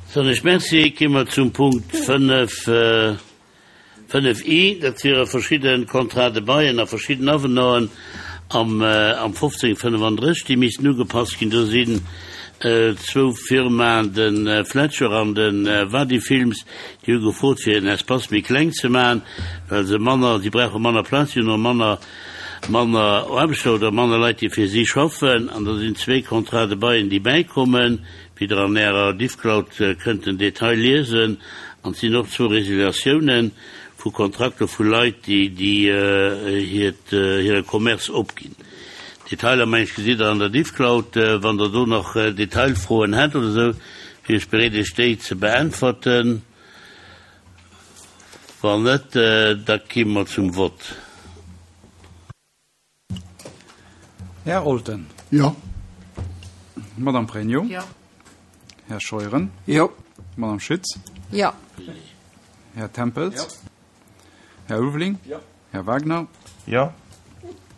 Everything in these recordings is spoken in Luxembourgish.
Soen ech Merci. Gi mer zum Punkt 5, 5 I. Dat wiere verschidde Contrats de baillen a verschidden Avenanten am 1535, déi missten ugepasst ginn. Do sinn zwou Firmaen, de Fletcher an de Wadi Films, déi hu gefrot, fir en Espace méi kleng ze maachen, well se manner, si brauche manner Plaz, si hunn och manner, manner Aarbechter oder manner Leit, déi fir si schaffen. An da sinn zwee Contrats de baillen, déi bäikommen. Wéi Der an Ärer Diffcloud kënnt den Detail liesen. An et sinn och zwou Resiliatiounen vu Kontrakter vu Leit, déi hiert hire Commerce opginn. Detailer, meng ech, gesitt Der an der Diffcloud. Wann Der do nach Detailfroen hätt oder esou, wier ech bereet, Iech déi ze beäntwerten. Wann net, da gi mer zum Vott. Här Olten. Jo. Madame Pregno. Jo. Här Scheuren. Jo. Madame Schütz. Jo. Här Tempels. Jo. Här Ulveling. Jo. Här Wagner. Jo.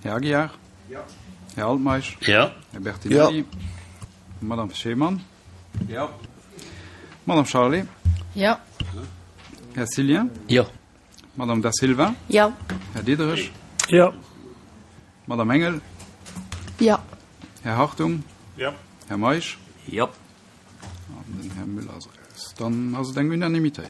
Här Aguiar. Jo. Här Altmeisch. Jo. Här Bertinelli. Jo. Madame Schemann. Jo. Madame Charlé. Jo. Här Cillien. Jo. Madame Da Silva. Jo. Här Diderich. Jo. Madame Engel. Jo. Här Hartung. Jo. Här Meisch. Jo. An den Här Müller ass eraus. Dann ass et eng Unanimitéit.